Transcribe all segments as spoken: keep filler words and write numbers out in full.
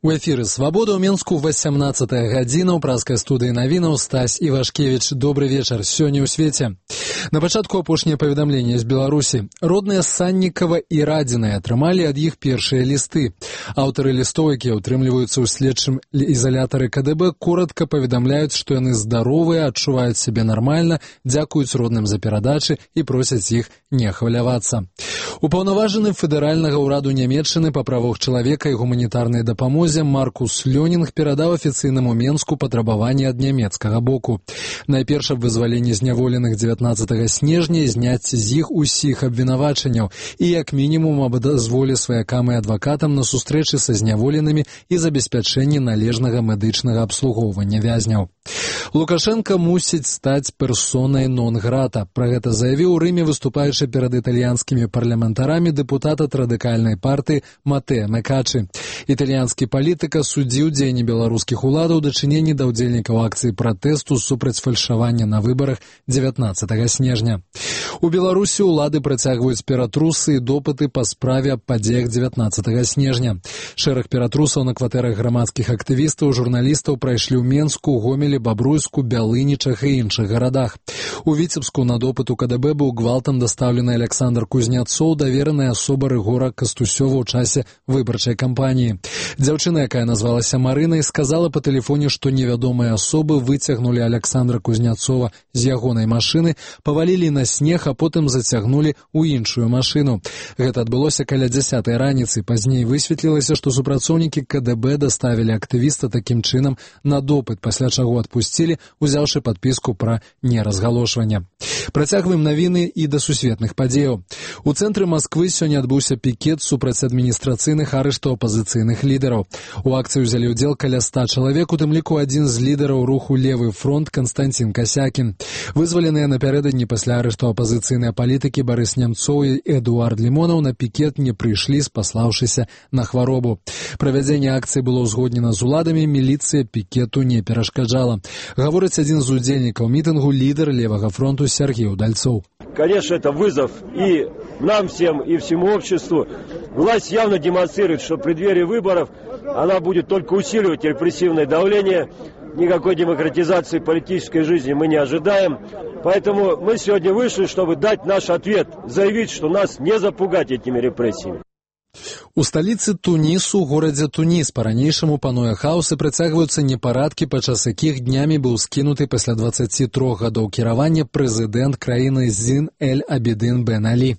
У эфіры «Свабода» ў Менску васямнаццатая гадзіна, ў праскай студыі навінаў Стась Івашкевіч. Добры вечар. Сёння ў свеце. На пачатку апошняе паведамленне з Беларусі. Родныя Саннікава і Радзінай атрымалі ад іх першыя лісты. Аўтары лістоў, якія ўтрымліваюцца ў следчым ізалятары ка дэ бэ, коратка паведамляюць, што яны здаровыя, адчуваюць сябе нармальна, дзякуюць родным за перадачы і просяць іх не хвалявацца. Упаўнаважаны федэральнага ўраду Нямецчыны па правах чалавека і гуманітарнай дапамозе Маркус Лёнінг перадаў афіцыйнаму Менску патрабаванні ад нямецкага боку. Найперш аб вызваленні зняволеных дзевятнаццатага снежня і зняцці з іх усіх абвінавачанняў і як мінімум аб дазволе сваякам і адвакатам на сустрэчы са зняволенымі і забеспячэнні належнага медычнага абслугоўвання вязняў. Лукашенко мусіць стаць персонай нон-грата. Пра гэта заявіў у Рыме, выступаючы перад італьянскімі парламентарамі дэпутат ад радыкальнай партыі Матэа Мекачы. Італьянскі палітык асудзіў дзеянні беларускіх уладаў у дачыненні да ўдзельнікаў акцыі пратэсту супраць фальшавання на выбарах дзевятнаццатага снежня. У Беларусі ўлады працягваюць ператрусы і допыты па справе аб падзеях дзевятнаццатага снежня. Шэраг ператрусаў на кватэрах грамадскіх актывістаў, журналістаў прайшлі ў Менску, Гомелі, Бабруйску, Бялынічах і іншых гарадах. У Віцебску на допыт у ка дэ бэ быў гвалтам дастаўлены Александр Кузняцоў, давераная асоба Рыгора Кастусёва ў часе выбарчай кампаніі. Дзяўчына, якая назвалася Марынай, сказала па тэлефоне, што невядомыя асобы выцягнулі Александра Кузняцова з ягонай машыны, павалілі на снег, а потым зацягнулі ў іншую машыну. Гэта адбылося каля дзясятай раніцы. Пазней высветлілася, што супрацоўнікі ка дэ бэ даставілі актывіста такім чынам на допыт, пасля чаго адпусцілі, узяўшы падпіску пра неразгалошванне. Працягваем навіны і да сусветных падзеяў. У цэнтры Масквы сёння адбыўся пікет супраць адміністрацыйных арыштаў апазіцыйных лідараў. У акцыі ўзялі ўдзел каля ста чалавек, у тым ліку адзін з лідараў руху «Левы фронт» Канстантин Касякін. Вызваленыя напярэдадні пасля арышту апазіцыйныя палітыкі Барыс Нямцоў і Эдуард Лімонаў на пікет не прыйшлі, спаслаўшыся на хваробу. Правядзенне акцыі было ўзгоднена з уладамі, міліцыя пікету не перашкаджала. Гаворыць адзін з удзельнікаў мітынгу, лідар Левага фронту Сергей Удальцов. Конечно, это вызов и нам всем, и всему обществу. Власть явно демонстрирует, что в преддверии выборов она будет только усиливать репрессивное давление. Никакой демократизации политической жизни мы не ожидаем. Поэтому мы сегодня вышли, чтобы дать наш ответ, заявить, что нас не запугать этими репрессиями. У сталіцы Тунісу, горадзе Туніс, па-ранейшаму пануе хаос і працягваюцца непарадкі, падчас якіх днямі быў скінуты пасля дваццаці трох гадоў кіравання прэзідэнт краіны Зін эль-Абідын Бен Алі.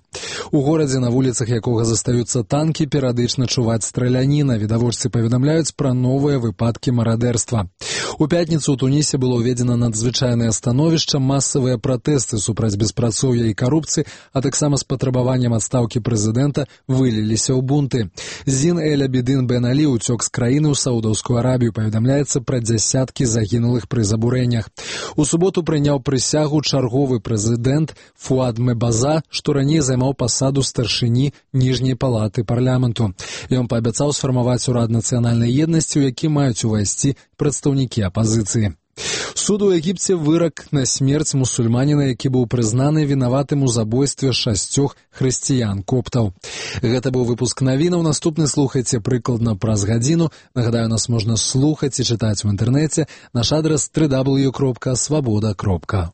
У горадзе, на вуліцах якога застаюцца танкі, перыядычна чуваць страляніна. Відавочцы паведамляюць пра новыя выпадкі марадэрства. У пятніцу ў Тунісе было ўведзена надзвычайнае становішча, масавыя пратэсты супраць беспрацоўя і карупцыі, а таксама з патрабаваннем адстаўкі прэзідэнта выліліся ў бунты. Зін эль-Абідын Бен Алі уцёк з краіны ў Саудаўскую Арабію. Паведамляецца пра дзясяткі загінулых пры забурэннях. У суботу прыняў прысягу чарговы прэзідэнт Фуад Мебаза, што раней займаў пасаду старшыні ніжняй палаты парламенту. Ён паабяцаў сфармаваць урад нацыянальнай еднасці, у які маюць увайсці прадстаўнікі апазіцыі. Суд у Егіпце вырак на смерць мусульманіна, які быў прызнаны вінаватым у забойстве шасцёх хрысціян-коптаў. Гэта быў выпуск навінаў. Наступны слухайце прыкладна праз гадзіну. Нагадаю, нас можна слухаць і чытаць у інтэрнэце. Наш адрас дабл ю дабл ю дабл ю кропка свабода кропка